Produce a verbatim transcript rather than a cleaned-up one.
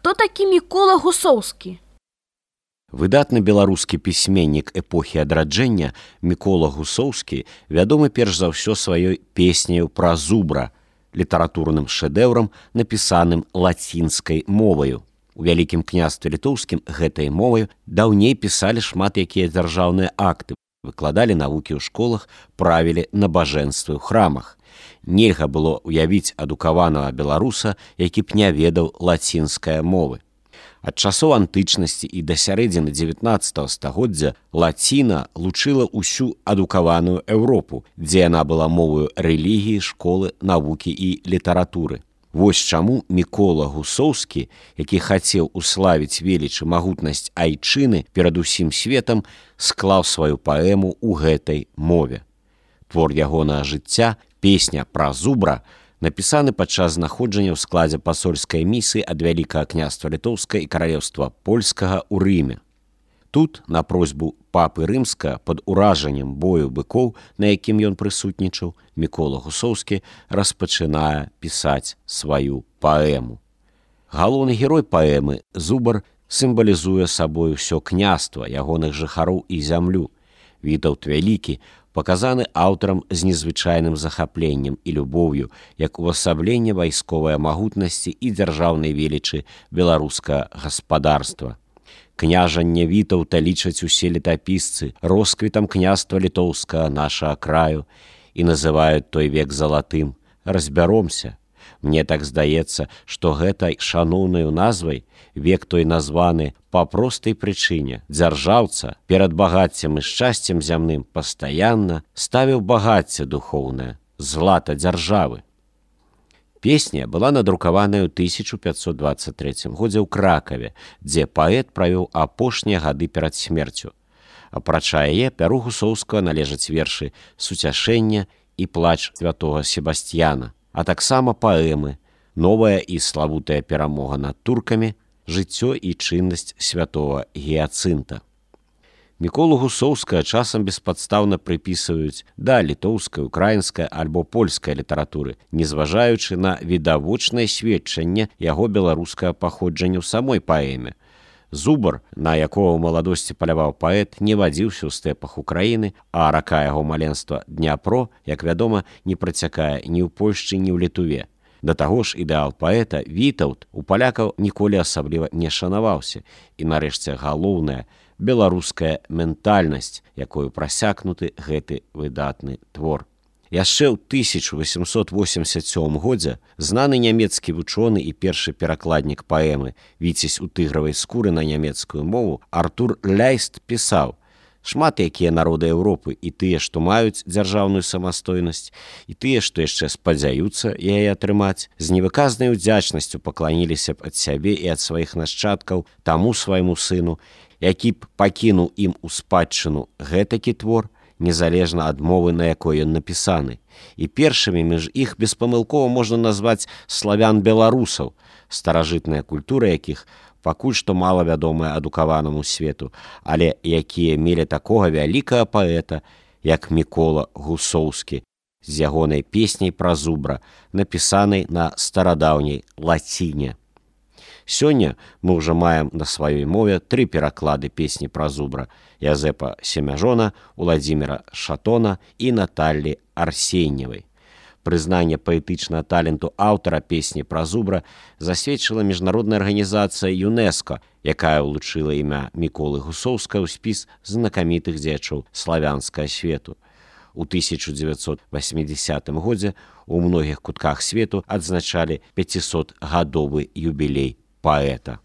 Хто такі Мікола Гусоўскі? Выдатны беларускі пісьменнік эпохі адраджэння Мікола Гусоўскі вядомы перш за ўсё сваёй песняю пра зубра, літаратурным шэдэўрам, напісаным лацінскай моваю. У Вялікім княстве літоўскім гэтай моваю даўней пісалі шмат якія дзяржаўныя акты, выкладалі навукі ў школах, правілі набажэнствы ў храмах. Нельга было ўявіць адукаванага беларуса, які б не ведаў лацінскай мовы. Ад часоў антычнасці і да сярэдзіны дзевятнаццатага стагоддзя лаціна лучыла ўсю адукаваную Еўропу, дзе яна была моваю рэлігіі, школы, навукі і літаратуры. Вось чаму Мікола Гусоўскі, які хацеў уславіць веліч і магутнасць айчыны перад усім светам, склаў сваю паэму ў гэтай мове. Твор ягонага жыцця, песня пра зубра, напісаны падчас знаходжання ў складзе пасольскай місіі ад Вялікага княства Літоўскага і каралеўства Польскага ў Рыме. Тут, на просьбу папы Рымскага, пад уражаннем бою быкоў, на якім ён прысутнічаў, Мікола Гусоўскі распачынае пісаць сваю паэму. Галоўны герой паэмы, зубар, сімвалізуе сабой усё княства, ягоных жыхароў і зямлю. Вітаўт Вялікі паказаны аўтарам з незвычайным захапленнем і любоўю, як увасабленне вайсковай магутнасці і дзяржаўнай велічы беларускага гаспадарства. Княжанне Вітаўта лічаць усе летапісцы росквітам княства літоўскага нашага краю і называюць той век залатым. Разбяромся. Мне так здаецца, што гэтай шаноўнаю назвай век той названы па простай прычыне. Дзяржаўца перад багаццем і шчасцем зямным пастаянна ставіў багацце духоўнае, злата дзяржавы. Песня была надрукаваная ў тысяча пятьсот двадцать третьем годзе ў Кракаве, дзе паэт правёў апошнія гады перад смерцю. Апрача яе, пяру Гусоўскага належаць вершы «Суцяшэння» і «Плач святога Себасцьяна», а таксама паэмы «Новая і славутая перамога над туркамі», «Жыццё і чыннасць святого Гіяцынта». Міколу Гусоўскага часам беспадстаўна прыпісваюць да літоўскай, украінскай альбо польскай літаратуры, незважаючы на відавочнае сведчанне яго беларускага паходжання ў самой паэме. Зубар, на якого ў маладосці паляваў паэт, не вадзіўся ў стэпах Украіны, а рака яго маленства Дняпро, як вядома, не працякае ні ў Польшчы, ні ў Літуве. Да таго ж ідэал паэта Вітаўт у палякаў ніколі асабліва не шанаваўся. І нарэшце галоўная беларуская ментальнасць, якою прасякнуты гэты выдатны твор. Яшчэ ў тысяча восемьсот восемьдесят сёмым годзе знаны нямецкі вучоны і першы перакладнік паэмы «Віцязь у тыгравай скуры» на нямецкую мову Артур Ляйст пісаў: «Шмат якія народы Еўропы, і тыя, што маюць дзяржаўную самастойнасць, і тыя, што яшчэ спадзяюцца яе атрымаць, з невыказнай удзячнасцю пакланіліся б ад сябе і ад сваіх нашчадкаў таму свайму сыну, які б пакінуў ім у спадчыну гэтакі твор, незалежна ад мовы, на якой ён напісаны. І першымі між іх беспамылкова можна назваць славян-беларусаў, старажытная культура якіх пакуль што мала вядомая адукаванаму свету, але якія мелі такога вялікага паэта, як Мікола Гусоўскі, з ягонай песняй пра зубра, напісанай на старадаўняй лаціне. Сёння мы ўжо маем на сваёй мове тры пераклады песні пра зубра Язэпа Семяжона, Уладзіміра Шатона і Наталлі Арсеньевай. Прызнанне паэтычнага таленту аўтара песні пра зубра засведчыла міжнародная арганізацыя ЮНЕСКО, якая ўлучыла імя Міколы Гусоўскага ў спіс знакамітых дзеячоў славянскага свету. У тысяча дзевяцьсот восьмідзесятым годзе ў многіх кутках свету адзначалі пяцісотгадовы юбілей паэта.